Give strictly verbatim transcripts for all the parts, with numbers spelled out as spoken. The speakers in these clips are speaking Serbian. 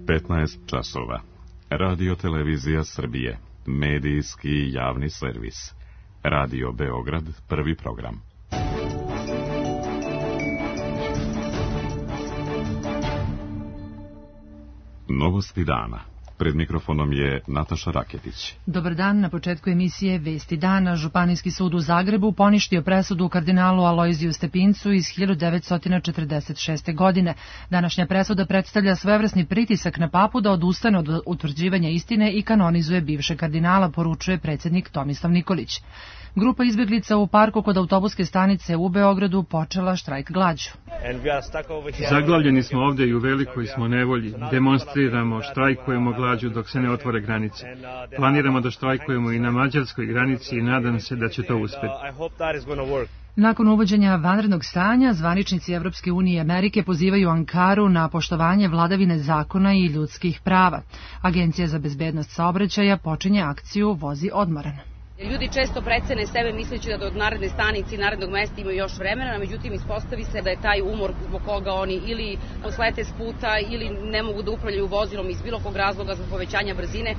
petnaest časova. Radio Televizija Srbije. Medijski javni servis. Radio Beograd, prvi program. Novosti dana. Pred mikrofonom je Nataša Raketić. Dobar dan, na početku emisije Vesti dana. Županijski sud u Zagrebu poništio presudu kardinalu Alojziju Stepincu iz hiljadu devetsto četrdeset šeste. godine. Današnja presuda predstavlja svojevrsni pritisak na papu da odustane od utvrđivanja istine i kanonizuje bivšeg kardinala, poručuje predsjednik Tomislav Nikolić. Grupa izbjeglica u parku kod autobuske stanice u Beogradu počela štrajk glađu. Zaglavljeni smo ovdje i u velikoj smo nevolji. Demonstriramo, štrajkujemo glađu dok se ne otvore granice. Planiramo da štrajkujemo i na mađarskoj granici i nadam se da će to uspjeti. Nakon uvođenja vanrednog stanja, zvaničnici Evropske unije i Amerike pozivaju Ankaru na poštovanje vladavine zakona i ljudskih prava. Agencija za bezbednost saobraćaja počinje akciju Vozi odmoran. Ljudi često precene sebe misleći da do naredne stanice i narednog mesta imaju još vremena, međutim ispostavi se da je taj umor zbog koga oni ili poslete s puta ili ne mogu da upravljaju vozilom iz bilo kog razloga zbog povećanja brzine.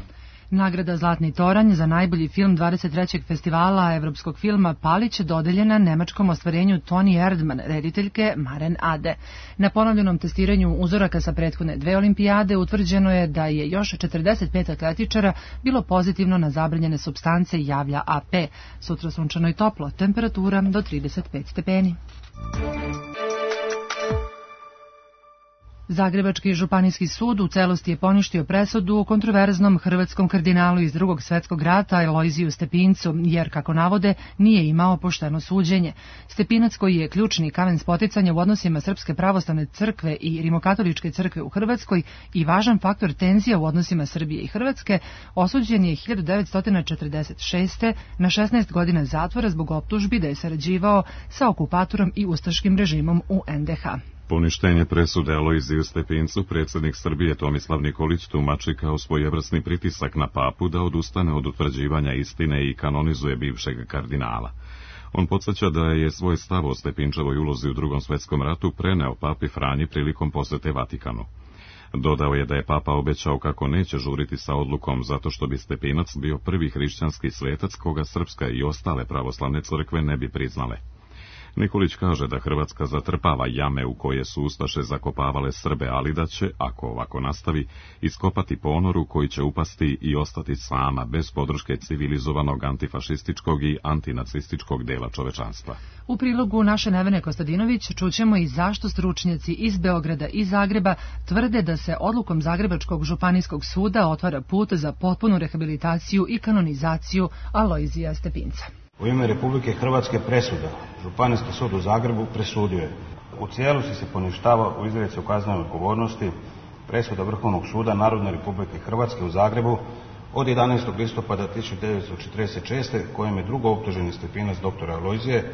Nagrada Zlatni toranj za najbolji film dvadeset trećeg festivala evropskog filma Palić dodeljena nemačkom ostvarenju Toni Erdmann, rediteljke Maren Ade. Na ponovljenom testiranju uzoraka sa prethodne dve olimpijade utvrđeno je da je još četrdeset pet atletičara bilo pozitivno na zabranjene supstance, javlja A P. Sutra sunčano i toplo, temperatura do trideset pet stepeni. Zagrebački županijski sud u celosti je poništio presudu o kontroverznom hrvatskom kardinalu iz Drugog svjetskog rata Alojziju Stepincu, jer, kako navode, nije imao pošteno suđenje. Stepinac, koji je ključni kamen spoticanja u odnosima Srpske pravoslavne crkve i Rimokatoličke crkve u Hrvatskoj i važan faktor tenzija u odnosima Srbije i Hrvatske, osuđen je hiljadu devetsto četrdeset šeste. na šesnaest godina zatvora zbog optužbi da je sarađivao sa okupatorom i ustaškim režimom u en de ha. Poništenje presude Alojziju Stepincu predsjednik Srbije Tomislav Nikolić tumači kao svojevrsni pritisak na papu da odustane od utvrđivanja istine i kanonizuje bivšeg kardinala. On podsjeća da je svoj stav o Stepinčevoj ulozi u Drugom svjetskom ratu preneo papi Franji prilikom posjete Vatikanu. Dodao je da je papa obećao kako neće žuriti sa odlukom zato što bi Stepinac bio prvi hrišćanski svetac koga srpska i ostale pravoslavne crkve ne bi priznale. Nikolić kaže da Hrvatska zatrpava jame u koje su ustaše zakopavale Srbe, ali da će, ako ovako nastavi, iskopati ponoru koji će upasti i ostati sama, bez podrške civilizovanog antifašističkog i antinacističkog dela čovečanstva. U prilogu naše Nevene Kostadinović čućemo i zašto stručnjaci iz Beograda i Zagreba tvrde da se odlukom Zagrebačkog županijskog suda otvara put za potpunu rehabilitaciju i kanonizaciju Alojzija Stepinca. U ime Republike Hrvatske presuda Županijski sud u Zagrebu presudio je: u cijelosti se poništava u izreci o kaznenoj odgovornosti presuda Vrhovnog suda Narodne Republike Hrvatske u Zagrebu od jedanaestog listopada tisuću devetsto četrdeset šeste. kojim je drugooptuženi Stepinac dr. Alojzije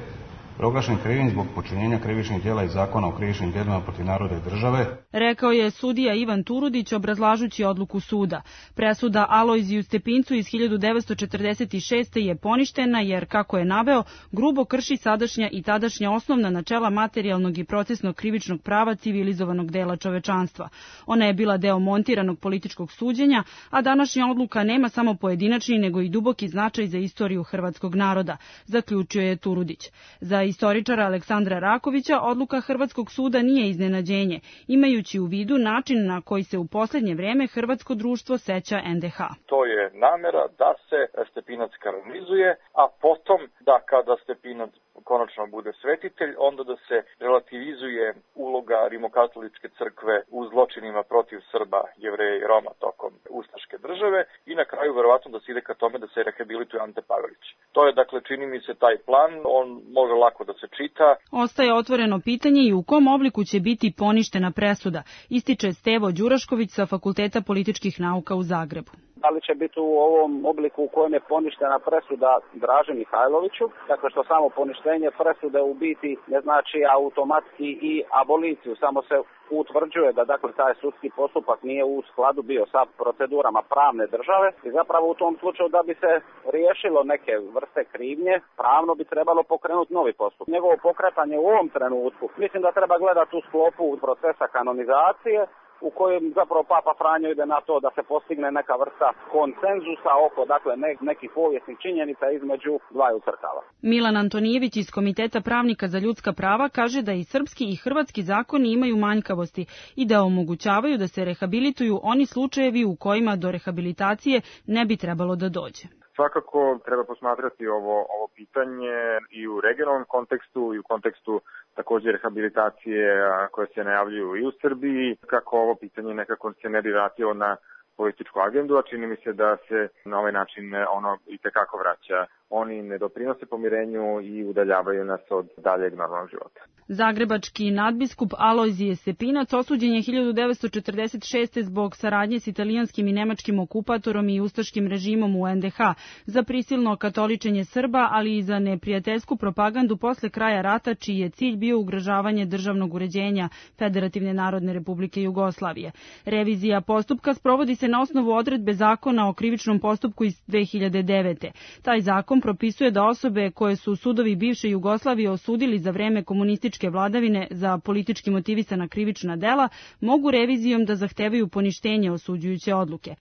proglašen krivim zbog počinjenja krivičnih djela iz Zakona o krivičnim djelima protiv naroda i države, rekao je sudija Ivan Turudić obrazlažući odluku suda. Presuda Alojziju Stepincu iz hiljadu devetsto četrdeset šeste. je poništena jer, kako je naveo, grubo krši sadašnja i tadašnja osnovna načela materijalnog i procesnog krivičnog prava civilizovanog dela čovečanstva. Ona je bila deo montiranog političkog suđenja, a današnja odluka nema samo pojedinačni nego i duboki značaj za istoriju hrvatskog naroda, zaključio je Turudić. Za istoričara Aleksandra Rakovića odluka Hrvatskog suda nije iznenađenje, imajući u vidu način na koji se u posljednje vrijeme hrvatsko društvo seća en de ha. To je namjera da se Stepinac kanonizuje, a potom da kada Stepinac konačno bude svetitelj, onda da se relativizuje uloga Rimokatoličke crkve u zločinima protiv Srba, Jevreja i Roma tokom ustaške države i na kraju verovatno da se ide ka tome da se rehabilituje Ante Pavelić. To je, dakle, čini mi se taj plan, on može lako da se čita. Ostaje otvoreno pitanje i u kom obliku će biti poništena presuda, ističe Stevo Đurašković sa Fakulteta političkih nauka u Zagrebu. Da li će biti u ovom obliku u kojem je poništena presuda Draži Mihajloviću, dakle što samo poništenje presude u biti ne znači automatski i aboliciju, samo se utvrđuje da dakle taj sudski postupak nije u skladu bio sa procedurama pravne države i zapravo u tom slučaju da bi se riješilo neke vrste krivnje, pravno bi trebalo pokrenuti novi postupak. Njegovo pokretanje u ovom trenutku mislim da treba gledati u sklopu procesa kanonizacije, u kojem zapravo Papa Franjo ide na to da se postigne neka vrsta konsenzusa oko dakle ne, nekih povijesnih činjenica između dvaju crkava. Milan Antonijević iz Komiteta pravnika za ljudska prava kaže da i srpski i hrvatski zakoni imaju manjkavosti i da omogućavaju da se rehabilituju oni slučajevi u kojima do rehabilitacije ne bi trebalo da dođe. Svakako treba posmatrati ovo, ovo pitanje i u regionalnom kontekstu i u kontekstu također rehabilitacije koje se najavljuju i u Srbiji, kako ovo pitanje nekako se ne bi vratilo na političku agendu, a čini mi se da se na ovaj način ono i tekako vraća. Oni ne doprinose pomirenju i udaljavaju nas od daljeg normalnog života. Zagrebački nadbiskup Alojzije Stepinac osuđen je hiljadu devetsto četrdeset šeste zbog saradnje s italijanskim i nemačkim okupatorom i ustaškim režimom u en de ha, za prisilno katoličenje Srba, ali i za neprijateljsku propagandu posle kraja rata, čiji je cilj bio ugrožavanje državnog uređenja Federativne narodne republike Jugoslavije. Revizija postupka sprovodi se na osnovu odredbe zakona o krivičnom postupku iz dve hiljade devete. Taj zakon propisuje da osobe koje su sudovi bivše Jugoslavije osudili za vreme komunističke vladavine za politički motivisana krivična dela mogu revizijom da zahtevaju poništenje osuđujuće odluke.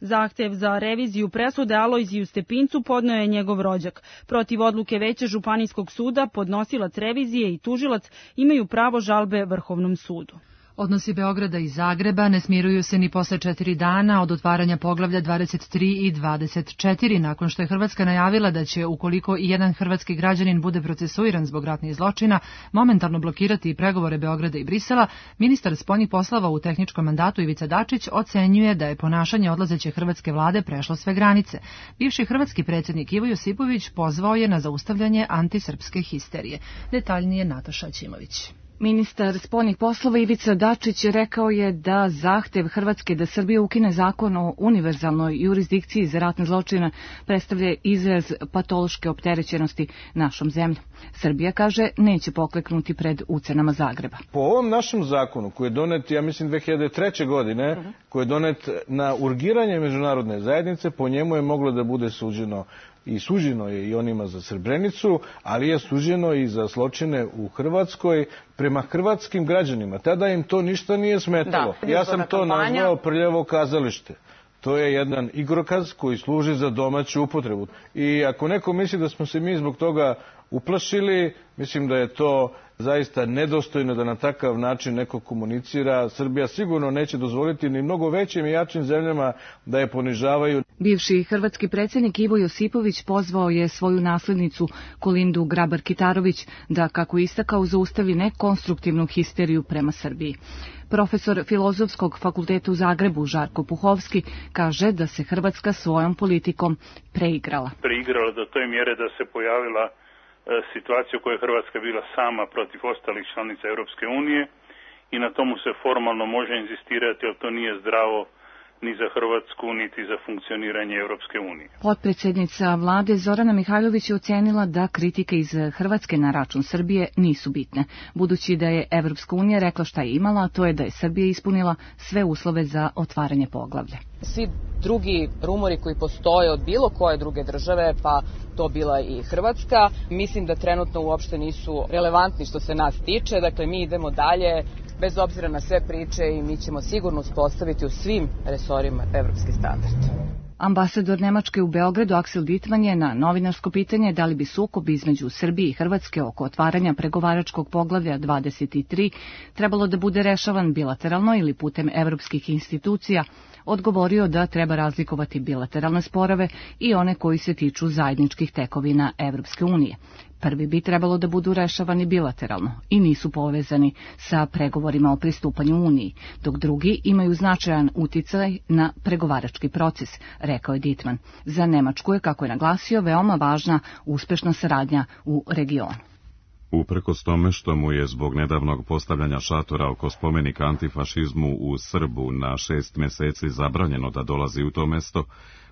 Zahtev za reviziju presude Alojziju Stepincu podneo je njegov rođak. Protiv odluke Veća Županijskog suda podnosilac revizije i tužilac imaju pravo žalbe Vrhovnom sudu. Odnosi Beograda i Zagreba ne smiruju se ni posle četiri dana od otvaranja poglavlja dvadeset tri i dvadeset četiri, nakon što je Hrvatska najavila da će, ukoliko i jedan hrvatski građanin bude procesuiran zbog ratnih zločina, momentalno blokirati pregovore Beograda i Brisela. Ministar spoljnih poslova u tehničkom mandatu Ivica Dačić ocenjuje da je ponašanje odlazeće hrvatske vlade prešlo sve granice. Bivši hrvatski predsjednik Ivo Josipović pozvao je na zaustavljanje antisrpske histerije. Detaljnije Nataša Ćimović. Ministar spoljnih poslova Ivica Dačić rekao je da zahtev Hrvatske da Srbija ukine zakon o univerzalnoj jurisdikciji za ratne zločine predstavlja izraz patološke opterećenosti našom zemljom. Srbija, kaže, neće pokleknuti pred ucenama Zagreba. Po ovom našem zakonu, koji je donet, ja mislim, dve hiljade treće. godine, uh-huh. koji je donet na urgiranje međunarodne zajednice, po njemu je moglo da bude suđeno i suđeno je i onima za Srebrenicu, ali je suđeno i za zločine u Hrvatskoj prema hrvatskim građanima. Tada im to ništa nije smetalo. Da, ja sam to kampanja. nazvao prljavo kazalište. To je jedan igrokaz koji služi za domaću upotrebu. I ako neko misli da smo se mi zbog toga uplašili, mislim da je to zaista nedostojno da na takav način neko komunicira. Srbija sigurno neće dozvoliti ni mnogo većim i jačim zemljama da je ponižavaju. Bivši hrvatski predsjednik Ivo Josipović pozvao je svoju naslednicu Kolindu Grabar-Kitarović da, kako istakao, zaustavi nekonstruktivnu histeriju prema Srbiji. Profesor Filozofskog fakulteta u Zagrebu Žarko Puhovski kaže da se Hrvatska svojom politikom preigrala. Preigrala do toj mjere da se pojavila situacija u kojoj je Hrvatska bila sama protiv ostalih članica Europske unije i na tomu se formalno može inzistirati, ali to nije zdravo ni za Hrvatsku, niti za funkcioniranje Europske unije. Potpredsjednica vlade Zorana Mihajlović je ocenila da kritike iz Hrvatske na račun Srbije nisu bitne, budući da je Evropska unija rekla šta je imala, a to je da je Srbija ispunila sve uslove za otvaranje poglavlja. Svi drugi rumori koji postoje od bilo koje druge države, pa to bila i Hrvatska, mislim da trenutno uopšte nisu relevantni što se nas tiče. Dakle, mi idemo dalje bez obzira na sve priče i mi ćemo sigurno uspostaviti u svim resorima evropski standard. Ambasador Nemačke u Beogradu Aksel Dittmann je na novinarsko pitanje da li bi sukob između Srbije i Hrvatske oko otvaranja pregovaračkog poglavlja dvadeset tri trebalo da bude rešavan bilateralno ili putem evropskih institucija, odgovorio da treba razlikovati bilateralne sporove i one koji se tiču zajedničkih tekovina Evropske unije. Prvi bi trebalo da budu rešavani bilateralno i nisu povezani sa pregovorima o pristupanju Uniji, dok drugi imaju značajan uticaj na pregovarački proces, rekao je Dittmann. Za Nemačku je, kako je naglasio, veoma važna uspešna saradnja u regionu. Uprkos tome što mu je zbog nedavnog postavljanja šatora oko spomenika antifašizmu u Srbu na šest meseci zabranjeno da dolazi u to mesto,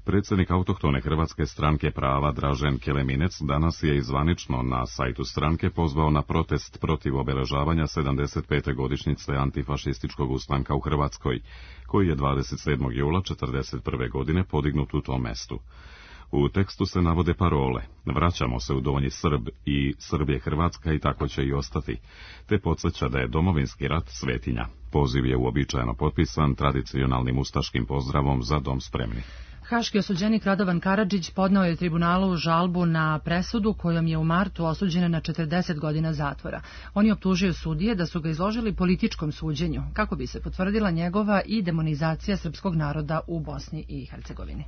predsjednik autohtone Hrvatske stranke prava Dražen Keleminec danas je izvanično na sajtu stranke pozvao na protest protiv obeležavanja sedamdeset pete godišnjice antifašističkog ustanka u Hrvatskoj, koji je dvadeset sedmog jula četrdeset prve godine podignut u tom mestu. U tekstu se navode parole "Vraćamo se u Donji Srb" i "Srb je Hrvatska i tako će i ostati", te podsjeća da je domovinski rat svetinja. Poziv je uobičajeno potpisan tradicionalnim ustaškim pozdravom "Za dom spremni". Haški osuđenik Radovan Karadžić podneo je tribunalu žalbu na presudu kojom je u martu osuđen na četrdeset godina zatvora. On je optužio sudije da su ga izložili političkom suđenju, kako bi se potvrdila njegova i demonizacija srpskog naroda u Bosni i Hercegovini.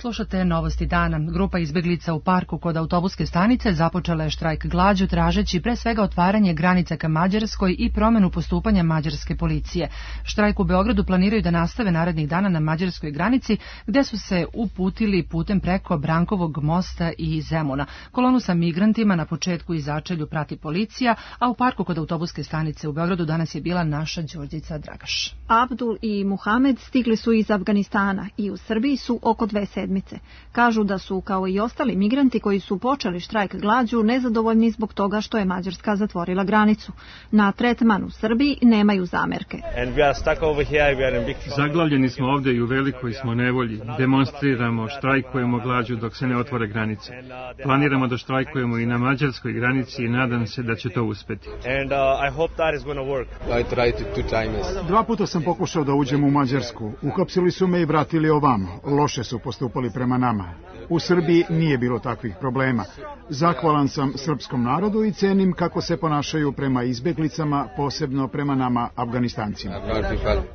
Slušate Novosti dana. Grupa izbeglica u parku kod autobuske stanice započela je štrajk glađu tražeći pre svega otvaranje granica ka Mađarskoj i promenu postupanja mađarske policije. Štrajk u Beogradu planiraju da nastave narednih dana na mađarskoj granici, gde su se uputili putem preko Brankovog mosta i Zemuna. Kolonu sa migrantima na početku i začelju prati policija, a u parku kod autobuske stanice u Beogradu danas je bila naša Đurđica Dragaš. Abdul i Muhamed stigli su iz Afganistana i u Srbiji su oko dve sedmice. Kažu da su, kao i ostali migranti koji su počeli štrajk glađu, nezadovoljni zbog toga što je Mađarska zatvorila granicu. Na tretman u Srbiji nemaju zamerke. Zaglavljeni smo ovde i u velikoj smo nevolji. Demonstriramo, štrajkujemo glađu dok se ne otvore granice. Planiramo da štrajkujemo i na mađarskoj granici i nadam se da će to uspeti. Dva puta sam pokušao da uđem u Mađarsku. Uhapsili su me i vratili ovamo. Loše su postupali prema nama. U Srbiji nije bilo takvih problema. Zahvalan sam srpskom narodu i cenim kako se ponašaju prema izbeglicama, posebno prema nama Afganistancima.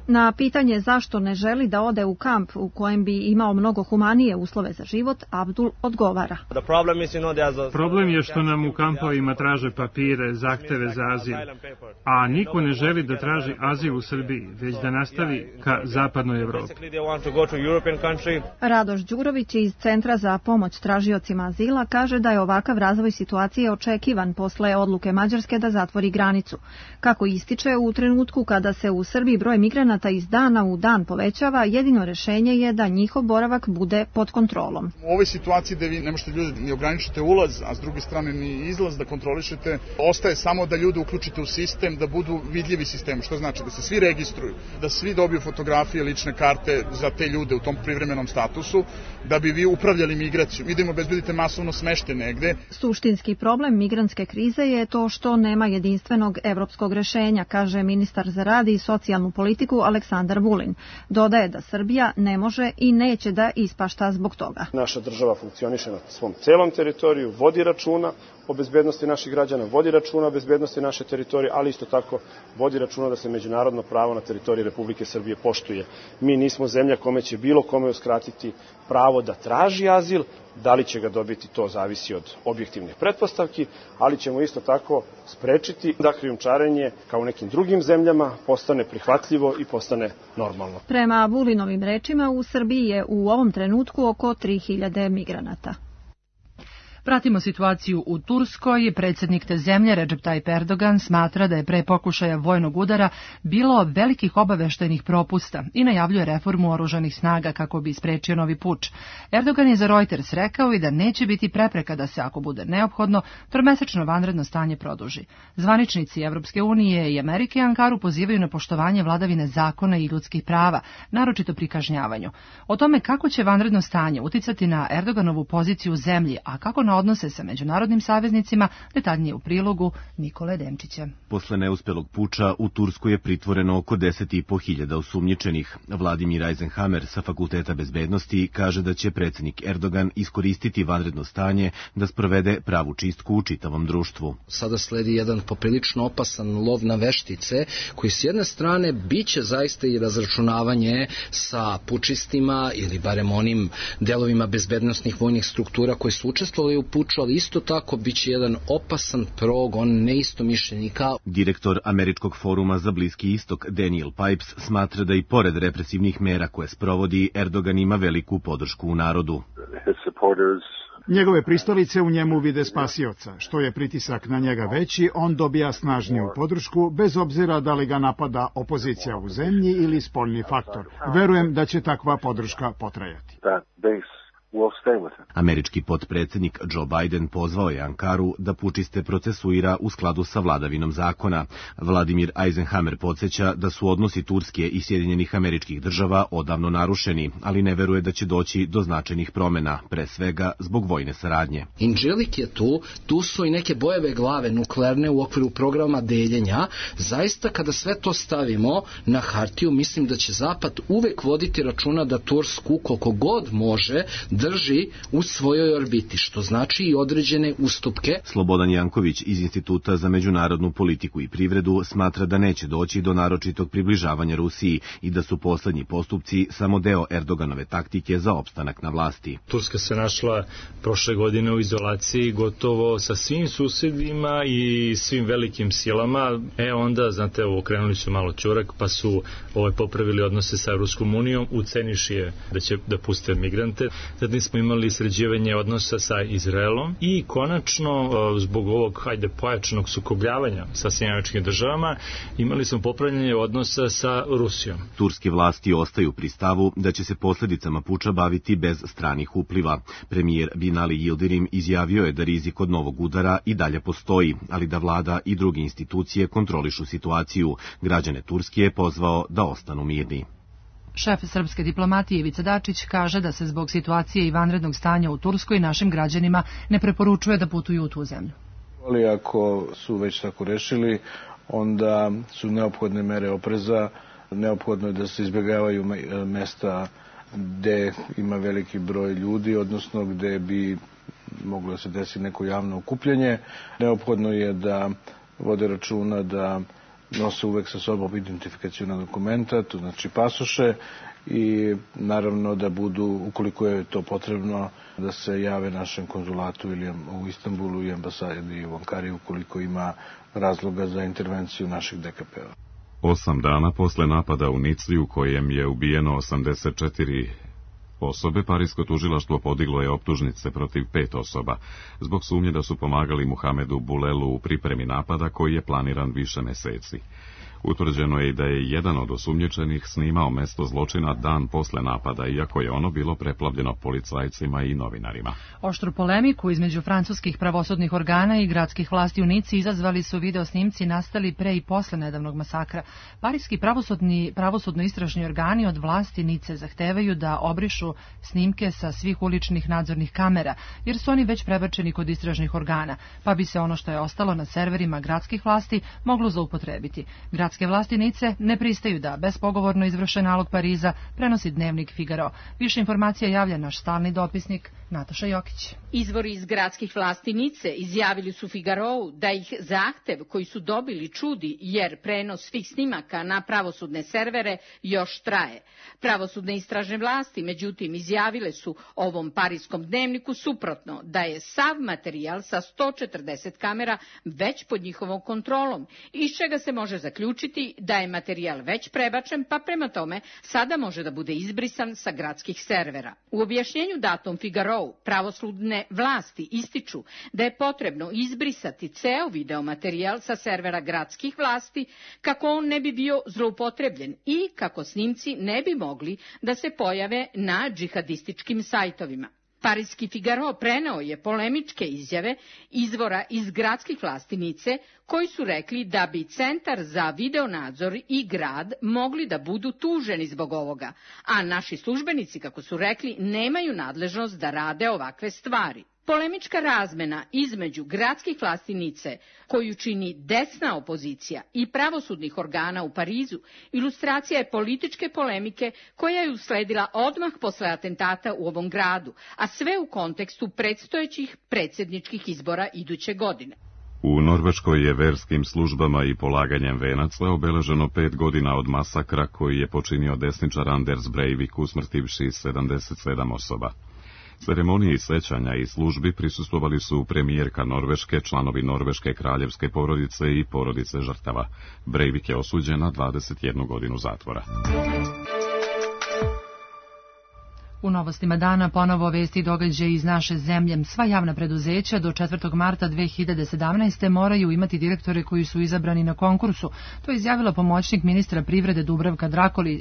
Na pitanje zašto ne želi da ode u kamp u kojem bi imao mnogo humanije uslove za život, Abdul odgovara. Problem je što nam u kampovima traže papire, zahteve za azil, a niko ne želi da traži azil u Srbiji, već da nastavi ka zapadnoj Evropi. Radoš Đurović iz Centra za pomoć tražiocima azila kaže da je ovakav razvoj situacije očekivan posle odluke Mađarske da zatvori granicu. Kako ističe, u trenutku kada se u Srbiji broj migranata iz dana u dan povećava, jedino rešenje je da njihov boravak bude pod kontrolom. U ovoj situaciji da vi ne možete ljudi ni ograničite ulaz, a s druge strane ni izlaz da kontrolišete, ostaje samo da ljude uključite u sistem, da budu vidljivi sistemu, što znači da se svi registruju, da svi dobiju fotografije, lične karte za te ljude u tom privremenom statusu, da bi vi upravljali migraciju. Mi da im obezbedite masovno smešte negde. Suštinski problem migrantske krize je to što nema jedinstvenog evropskog rešenja, kaže ministar za rad i socijalnu politiku Aleksandar Vulin. Dodaje da Srbija ne može i neće da ispašta zbog toga. Naša država funkcioniše na svom celom teritoriju, vodi računa o bezbednosti naših građana, vodi računa o bezbednosti naše teritorije, ali isto tako vodi računa da se međunarodno pravo na teritoriji Republike Srbije poštuje. Mi nismo zemlja kome će bilo kome uskratiti pravo da traži azil, da li će ga dobiti, to zavisi od objektivnih pretpostavki, ali ćemo isto tako sprečiti da krijumčarenje, kao u nekim drugim zemljama, postane prihvatljivo i postane normalno. Prema Vulinovim rečima, u Srbiji je u ovom trenutku oko tri hiljade migranata. Pratimo situaciju u Turskoj. Predsjednik te zemlje Recep Tayyip Erdogan smatra da je pre pokušaja vojnog udara bilo velikih obaveštajnih propusta i najavljuje reformu oružanih snaga kako bi sprečio novi puč. Erdogan je za Reuters rekao i da neće biti prepreka da se, ako bude neophodno, tromesečno vanredno stanje produži. Zvaničnici Evropske unije i Amerike Ankaru pozivaju na poštovanje vladavine zakona i ljudskih prava, naročito pri kažnjavanju. O tome kako će vanredno stanje uticati na Erdoganovu poziciju u zemlji, a kako na odnose sa međunarodnim saveznicima, detaljnije u prilogu Nikole Demčića. Posle neuspelog puča u Turskoj je pritvoreno oko deset i po hiljada osumnjičenih. Vladimir Eisenhammer sa Fakulteta bezbednosti kaže da će predsjednik Erdogan iskoristiti vanredno stanje da sprovede pravu čistku u čitavom društvu. Sada sledi jedan poprilično opasan lov na veštice, koji s jedne strane biće zaista i razračunavanje sa pučistima ili barem onim delovima bezbednostnih vojnih struktura koji su učestvovali u puču, ali isto tako biće jedan opasan progon neistomišljenika. Direktor Američkog foruma za Bliski istok Daniel Pipes smatra da i pored represivnih mera koje sprovodi, Erdogan ima veliku podršku u narodu. Njegove pristalice u njemu vide spasioca. Što je pritisak na njega veći, on dobija snažniju podršku, bez obzira da li ga napada opozicija u zemlji ili spoljni faktor. Verujem da će takva podrška potrajati. Američki potpredsednik Joe Biden pozvao je Ankaru da pučiste procesuira u skladu sa vladavinom zakona. Vladimir Eisenhower podsjeća da su odnosi Turske i Sjedinjenih Američkih Država odavno narušeni, ali ne veruje da će doći do značajnih promena, pre svega zbog vojne saradnje. Inđelik je tu, tu su i neke bojeve glave nuklearne u okviru programa deljenja. Zaista kada sve to stavimo na hartiju, mislim da će Zapad uvek voditi računa da Tursku koliko god može drži u svojoj orbiti, što znači i određene ustupke. Slobodan Janković iz Instituta za međunarodnu politiku i privredu smatra da neće doći do naročitog približavanja Rusiji i da su poslednji postupci samo deo Erdoganove taktike za opstanak na vlasti. Turska se našla prošle godine u izolaciji gotovo sa svim susedima i svim velikim silama. E onda, znate, okrenuli su malo ćurak pa su ovaj, popravili odnose sa Ruskom unijom, uceniši je da će da puste migrante. Zatim smo imali sređivanje odnosa sa Izraelom i konačno zbog ovog hajde pojačanog sukobljavanja sa Sjedinjenim Američkim Državama imali smo popravljanje odnosa sa Rusijom. Turske vlasti ostaju pri stavu da će se posljedicama puča baviti bez stranih upliva. Premijer Binali Yildirim izjavio je da rizik od novog udara i dalje postoji, ali da vlada i druge institucije kontrolišu situaciju. Građane Turske je pozvao da ostanu mirni. Šef srpske diplomatije Ivica Dačić kaže da se zbog situacije i vanrednog stanja u Turskoj našim građanima ne preporučuje da putuju u tu zemlju. Ali ako su već tako rešili, onda su neophodne mere opreza, neophodno je da se izbjegavaju mesta gde ima veliki broj ljudi, odnosno gde bi moglo da se desi neko javno okupljanje. Neophodno je da vode računa da nose uvek sa sobom identifikaciona dokumenta, to znači pasoše, i naravno da budu, ukoliko je to potrebno, da se jave našem konzulatu ili u Istanbulu i ambasadi u Ankari ukoliko ima razloga za intervenciju naših D K P-a. Osam dana posle napada u Nici u kojem je ubijeno osamdeset četiri osobe, Parisko tužilaštvo podiglo je optužnice protiv pet osoba zbog sumnje da su pomagali Muhamedu Bulelu u pripremi napada koji je planiran više meseci. Utvrđeno je i da je jedan od osumnjičenih snimao mesto zločina dan posle napada, iako je ono bilo preplavljeno policajcima i novinarima. Oštru polemiku između francuskih pravosudnih organa i gradskih vlasti u Nici izazvali su video snimci nastali pre i posle nedavnog masakra. Parijski pravosudni pravosudno-istražni organi od vlasti Nice zahtevaju da obrišu snimke sa svih uličnih nadzornih kamera, jer su oni već prebačeni kod istražnih organa, pa bi se ono što je ostalo na serverima gradskih vlasti moglo zaupotrebiti. Gradske vlasti Nice ne pristaju da bespogovorno izvrše nalog Pariza, prenosi dnevnik Figaro. Više informacija javlja naš stalni dopisnik Nataša Jokić. Izvori iz gradskih vlasti Nice izjavili su Figarou da ih zahtev koji su dobili čudi, jer prenos svih snimaka na pravosudne servere još traje. Pravosudne istražne vlasti, međutim, izjavile su ovom parijskom dnevniku suprotno, da je sav materijal sa sto četrdeset kamera već pod njihovom kontrolom, iz čega se može zaključiti da je materijal već prebačen, pa prema tome sada može da bude izbrisan sa gradskih servera. U objašnjenju datom Figarou, pravosudne vlasti ističu da je potrebno izbrisati ceo videomaterijal sa servera gradskih vlasti kako on ne bi bio zloupotrebljen i kako snimci ne bi mogli da se pojave na džihadističkim sajtovima. Parijski Figaro preneo je polemičke izjave izvora iz gradskih vlasti Nice, koji su rekli da bi Centar za videonadzor i grad mogli da budu tuženi zbog ovoga, a naši službenici, kako su rekli, nemaju nadležnost da rade ovakve stvari. Polemička razmena između gradskih vlasti Nice, koju čini desna opozicija, i pravosudnih organa u Parizu, ilustracija je političke polemike koja je usledila odmah posle atentata u ovom gradu, a sve u kontekstu predstojećih predsjedničkih izbora iduće godine. U Norveškoj je verskim službama i polaganjem venaca obeleženo pet godina od masakra koji je počinio desničar Anders Breivik, usmrtivši sedamdeset sedam osoba. Ceremoniji sećanja i službi prisustvovali su premijerka Norveške, članovi norveške kraljevske porodice i porodice žrtava. Breivik je osuđen na dvadeset jednu godinu zatvora. U novostima dana ponovo vesti i događaje iz naše zemlje. Sva javna preduzeća do četvrtog marta dve hiljade sedamnaeste. moraju imati direktore koji su izabrani na konkursu. To je izjavila pomoćnik ministra privrede Dubravka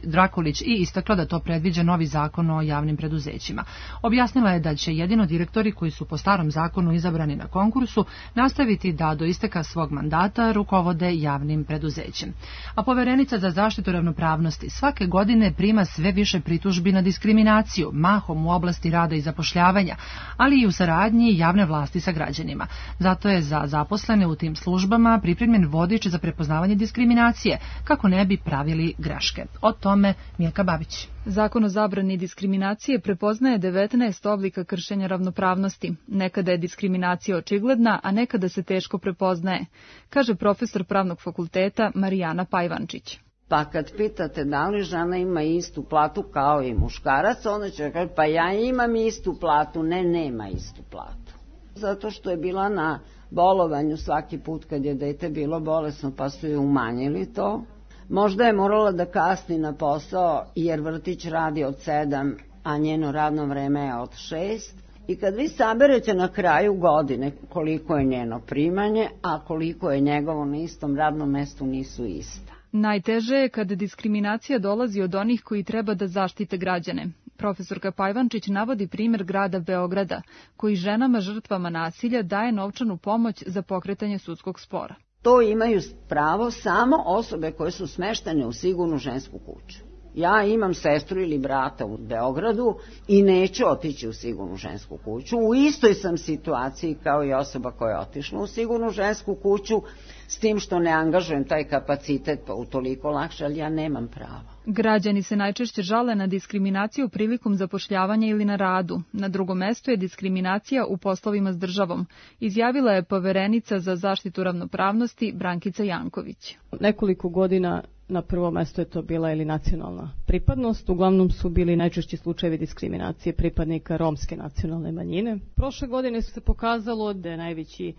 Drakulić i istakla da to predviđa novi zakon o javnim preduzećima. Objasnila je da će jedino direktori koji su po starom zakonu izabrani na konkursu nastaviti da do isteka svog mandata rukovode javnim preduzećem. A poverenica za zaštitu ravnopravnosti svake godine prima sve više pritužbi na diskriminaciju, mahom u oblasti rada i zapošljavanja, ali i u saradnji javne vlasti sa građanima. Zato je za zaposlene u tim službama pripremljen vodič za prepoznavanje diskriminacije, kako ne bi pravili greške. O tome Mijeka Babić. Zakon o zabrani diskriminacije prepoznaje devetnaest oblika kršenja ravnopravnosti. Nekada je diskriminacija očigledna, a nekada se teško prepoznaje, kaže profesor pravnog fakulteta Marijana Pajvančić. Pa kad pitate da li žena ima istu platu kao i muškarac, onda će reći pa ja imam istu platu. Ne, nema istu platu. Zato što je bila na bolovanju svaki put kad je dete bilo bolesno pa su je umanjili to. Možda je morala da kasni na posao jer vrtić radi od sedam, a njeno radno vreme je od šest. I kad vi saberete na kraju godine koliko je njeno primanje, a koliko je njegovo na istom radnom mestu nisu ista. Najteže je kada diskriminacija dolazi od onih koji treba da zaštite građane. Profesorka Pajvančić navodi primjer grada Beograda, koji ženama žrtvama nasilja daje novčanu pomoć za pokretanje sudskog spora. To imaju pravo samo osobe koje su smeštene u sigurnu žensku kuću. Ja imam sestru ili brata u Beogradu i neću otići u sigurnu žensku kuću. U istoj sam situaciji kao i osoba koja je otišla u sigurnu žensku kuću, s tim što ne angažujem taj kapacitet pa utoliko lakše, ali ja nemam pravo. Građani se najčešće žale na diskriminaciju prilikom zapošljavanja ili na radu. Na drugom mestu je diskriminacija u poslovima s državom, izjavila je poverenica za zaštitu ravnopravnosti Brankica Janković. Nekoliko godina na prvo mesto je to bila ili nacionalna pripadnost. Uglavnom su bili najčešći slučajevi diskriminacije pripadnika romske nacionalne manjine. Prošle godine se pokazalo da je najveći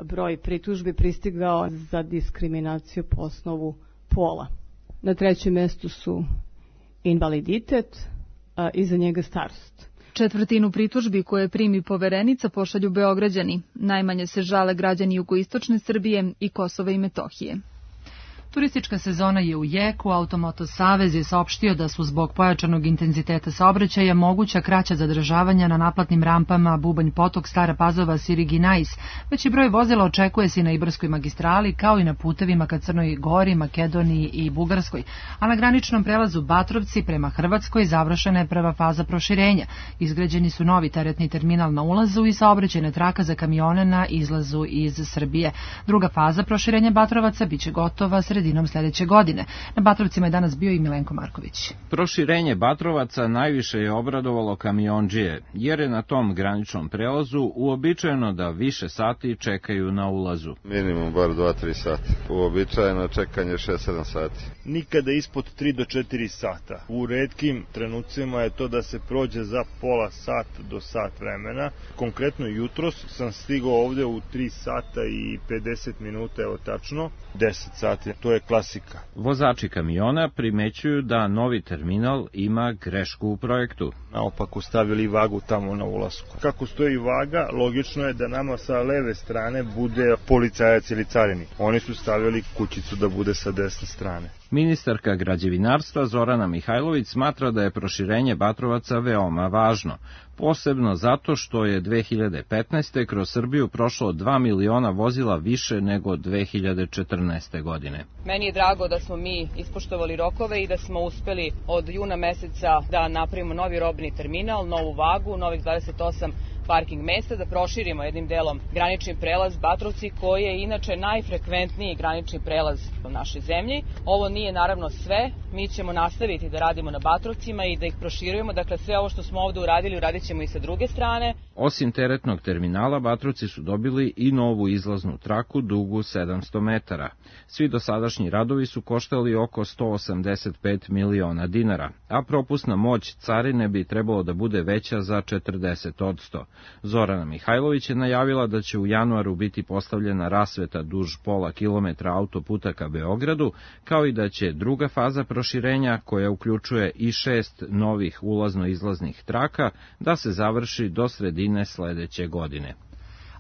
broj pritužbi pristigao za diskriminaciju po osnovu pola. Na trećem mjestu su invaliditet, a iza njega starost. Četvrtinu pritužbi koje primi poverenica pošalju Beograđani. Najmanje se žale građani jugoistočne Srbije i Kosova i Metohije. Turistička sezona je u jeku, Automoto Savez je saopštio da su zbog pojačanog intenziteta saobraćaja moguća kraća zadržavanja na naplatnim rampama Bubanj Potok, Stara Pazova, Siriginajs. Veći broj vozila očekuje se na Ibarskoj magistrali, kao i na putevima ka Crnoj Gori, Makedoniji i Bugarskoj. A na graničnom prelazu Batrovci prema Hrvatskoj završena je prva faza proširenja. Izgrađeni su novi teretni terminal na ulazu i saobraćajna traka za kamione na izlazu iz Srbije. Druga faza proširenja Batrovaca biće gotova sredinom sljedeće godine. Na Batrovcima je danas bio i Milenko Marković. Proširenje Batrovaca najviše je obradovalo kamiondžije, jer je na tom graničnom prelazu uobičajeno da više sati čekaju na ulazu. Minimum bar dva do tri sati. Uobičajeno čekanje šest do sedam sati. Nikada ispod tri do četiri sata. U retkim trenucima je to da se prođe za pola sat do sat vremena. Konkretno jutros sam stigao ovde u tri sata i pedeset minuta, evo tačno, deset sati. To je klasika. Vozači kamiona primećuju da novi terminal ima grešku u projektu. Naopako stavili vagu tamo na ulasku. Kako stoji vaga, logično je da nama sa leve strane bude policajac ili carinik. Oni su stavili kućicu da bude sa desne strane. Ministarka građevinarstva Zorana Mihajlović smatra da je proširenje Batrovaca veoma važno, posebno zato što je dve hiljade petnaeste. kroz Srbiju prošlo dva miliona vozila više nego dve hiljade četrnaeste. godine. Meni je drago da smo mi ispoštovali rokove i da smo uspeli od juna meseca da napravimo novi robni terminal, novu vagu, novih dvadeset osam parking mesta, da proširimo jednim delom granični prelaz Batrovci, koji je inače najfrekventniji granični prelaz u našoj zemlji. Ovo nije naravno sve, mi ćemo nastaviti da radimo na Batrovcima i da ih proširujemo, dakle sve ovo što smo ovde uradili, uradit ćemo i sa druge strane. Osim teretnog terminala, Batrovci su dobili i novu izlaznu traku dugu sedamsto metara. Svi dosadašnji radovi su koštali oko sto osamdeset pet miliona dinara, a propusna moć carine bi trebalo da bude veća za četrdeset odsto. Zorana Mihajlović je najavila da će u januaru biti postavljena rasveta duž pola kilometra autoputa ka Beogradu, kao i da će druga faza proširenja proširenja, koja uključuje i šest novih ulazno-izlaznih traka, da se završi do sredine sledeće godine.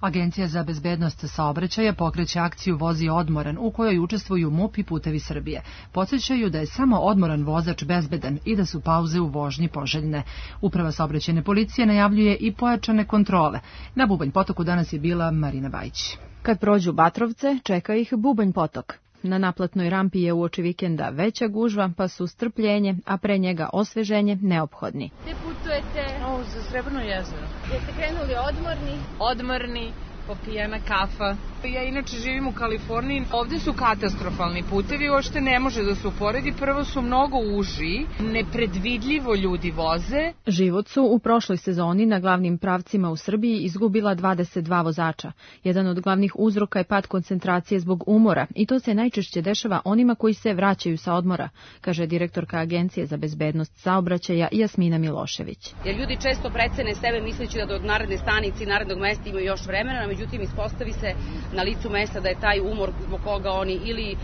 Agencija za bezbednost saobraćaja pokreće akciju Vozi odmoran, u kojoj učestvuju M U P i Putevi Srbije. Podsjećaju da je samo odmoran vozač bezbedan i da su pauze u vožnji poželjne. Uprava saobraćajne policije najavljuje i pojačane kontrole. Na Bubanj potoku danas je bila Marina Bajić. Kad prođu Batrovce, čeka ih Bubanj potok. Na naplatnoj rampi je uoči vikenda veća gužva, pa su strpljenje, a pre njega osveženje neophodni. Gde putujete? O, za Srebrno jezero. Jeste krenuli odmorni? Odmorni, popijena kafa. Ja inače živim u Kaliforniji. Ovde su katastrofalni putevi, uopšte ne može da se uporedi. Prvo su mnogo uži, nepredvidljivo ljudi voze. Život su u prošloj sezoni na glavnim pravcima u Srbiji izgubila dvadeset dva vozača. Jedan od glavnih uzroka je pad koncentracije zbog umora i to se najčešće dešava onima koji se vraćaju sa odmora, kaže direktorka Agencije za bezbednost saobraćaja Jasmina Milošević. Jer ljudi često precene sebe misleći da do naredne stanice i narednog mesta imaju još vremena, međutim ispostavi se na licu mesta da je taj umor zbog koga oni ili uh,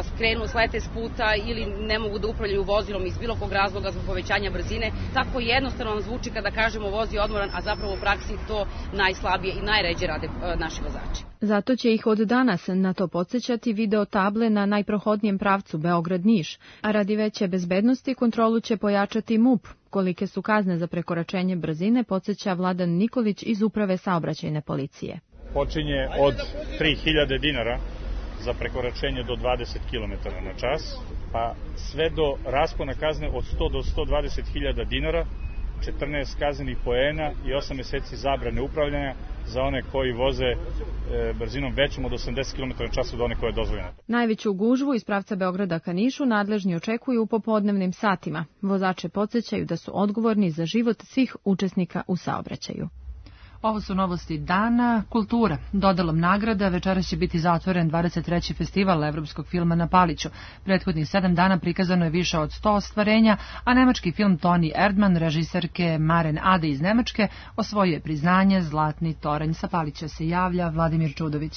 skrenu, slete s puta ili ne mogu da upravljaju vozilom iz bilo kog razloga zbog povećanja brzine. Tako jednostavno vam zvuči kada kažemo vozi odmoran, a zapravo u praksi to najslabije i najređe rade uh, naši vozači. Zato će ih od danas na to podsjećati video table na najprohodnijem pravcu Beograd-Niš, a radi veće bezbednosti kontrolu će pojačati M U P. Kolike su kazne za prekoračenje brzine, podsjeća Vladan Nikolić iz Uprave saobraćajne policije. Počinje od tri hiljade dinara za prekoračenje do dvadeset kilometara na čas, pa sve do raspona kazne od sto do sto dvadeset hiljada dinara, četrnaest kaznenih poena i osam meseci zabrane upravljanja za one koji voze e, brzinom većom od osamdeset kilometara na čas od one koje je dozvoljena. Najveću gužvu iz pravca Beograda ka Nišu nadležni očekuju u popodnevnim satima. Vozače podsjećaju da su odgovorni za život svih učesnika u saobraćaju. Ovo su novosti dana. Kultura. Dodelom nagrada večeras će biti zatvoren dvadeset treći festival evropskog filma na Paliću. Prethodnih sedam dana prikazano je više od sto ostvarenja, a nemački film Toni Erdmann, režiserke Maren Ade iz Nemačke, osvojio je priznanje Zlatni toranj. Sa Palića se javlja Vladimir Čudović.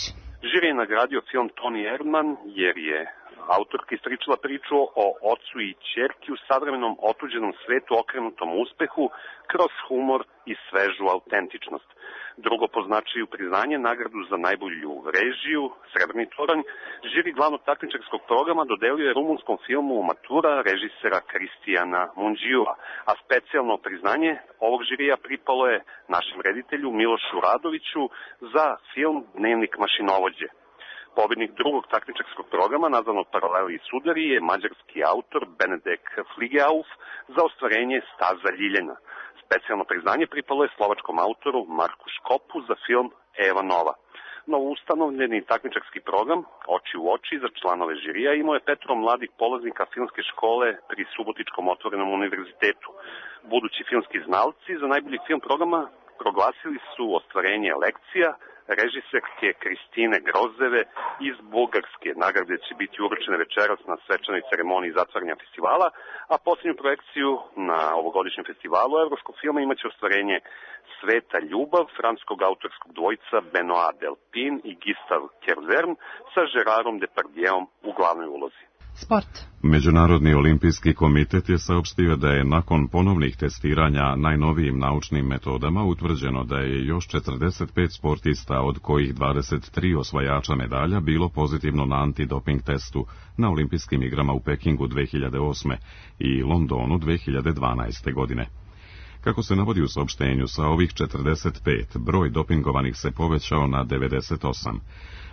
Žiri je nagradio film Toni Erdmann jer je autorka istričila priču o ocu i ćerki u savremenom otuđenom svetu okrenutom uspehu kroz humor i svežu autentičnost. Drugo po značaju priznanje, nagradu za najbolju režiju, Srebrni toranj, žiri glavnog takmičarskog programa dodelio je rumunskom filmu Matura režisera Kristijana Mundžiua, a specijalno priznanje ovog žirija pripalo je našem reditelju Milošu Radoviću za film Dnevnik mašinovođe. Pobednik drugog takmičarskog programa, nazvanog Paraleli i sudari, je mađarski autor Benedek Fligeauf za ostvarenje Staza Ljiljana. Specijalno priznanje pripalo je slovačkom autoru Marku Škopu za film Eva Nova. Novo ustanovljeni takmičarski program Oči u oči za članove žirija imao je petoro mladih polaznika filmske škole pri Subotičkom otvorenom univerzitetu. Budući filmski znalci za najbolji film programa proglasili su ostvarenje lekcija režiserke Kristine Grozeve iz Bugarske. Nagrade će biti uručene večeras na svečanoj ceremoniji zatvaranja festivala, a posljednju projekciju na ovogodišnjem festivalu evropskog filma imaće ostvarenje Sveta ljubav francuskog autorskog dvojica Benoit Delpin i Gustave Kervern sa Gerarom Depardieuom u glavnoj ulozi. Sport. Međunarodni olimpijski komitet je saopštio da je nakon ponovnih testiranja najnovijim naučnim metodama utvrđeno da je još četrdeset pet sportista, od kojih dvadeset tri osvajača medalja, bilo pozitivno na antidoping testu na olimpijskim igrama u Pekingu dve hiljade osme i Londonu dve hiljade dvanaeste. godine. Kako se navodi u saopštenju, sa ovih četrdeset pet broj dopingovanih se povećao na devedeset osam.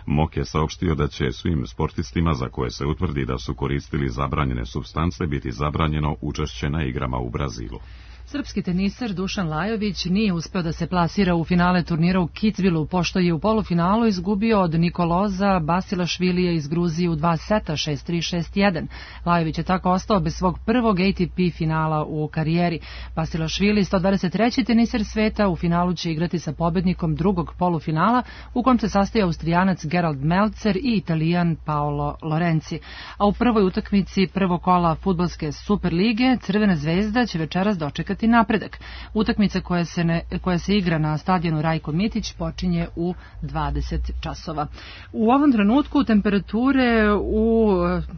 M O K je saopštio da će svim sportistima za koje se utvrdi da su koristili zabranjene supstance biti zabranjeno učešće na igrama u Brazilu. Srpski teniser Dušan Lajović nije uspeo da se plasira u finale turnira u Kitzbühelu, pošto je u polufinalu izgubio od Nikoloza Basilašvilija iz Gruzije u dva seta šest tri šest jedan. Lajović je tako ostao bez svog prvog A T P finala u karijeri. Basilašvili, sto dvadeset treći teniser sveta, u finalu će igrati sa pobednikom drugog polufinala, u kom se sastoji Austrijanac Gerald Melzer i Italijan Paolo Lorenzi. A u prvoj utakmici prvog kola fudbalske Superlige Crvena zvezda će večeras dočekati čekati napredak. Utakmica koja se, ne, koja se igra na stadionu Rajko Mitić počinje u dvadeset časova. U ovom trenutku temperature u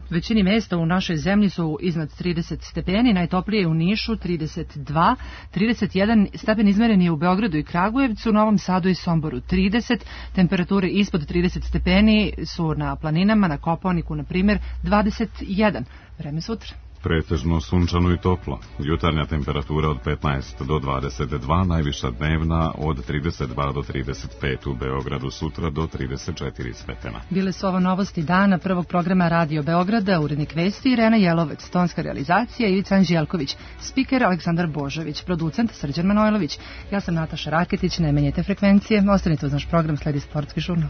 većini mesta u našoj zemlji su iznad trideset stepeni, najtoplije u Nišu trideset dva, trideset jedan stepen izmeren je u Beogradu i Kragujevcu, Novom Sadu i Somboru trideset, temperature ispod trideset stepeni su na planinama, na Kopaoniku, na primjer, dvadeset jedan. Vreme sutra. Pretežno sunčano i toplo. Jutarnja temperatura od petnaest do dvadeset dva, najviša dnevna od trideset dva do trideset pet, u Beogradu sutra do trideset četiri stepena. Bile su ovo novosti dana prvog programa Radio Beograda, urednik vesti Irena Jelovec, tonska realizacija Ivica Anđelković, spiker Aleksandar Božović, producent Srđan Manojlović. Ja sam Nataša Raketić, ne menjajte frekvencije, ostanite uz naš program, sledi sportski žurnal.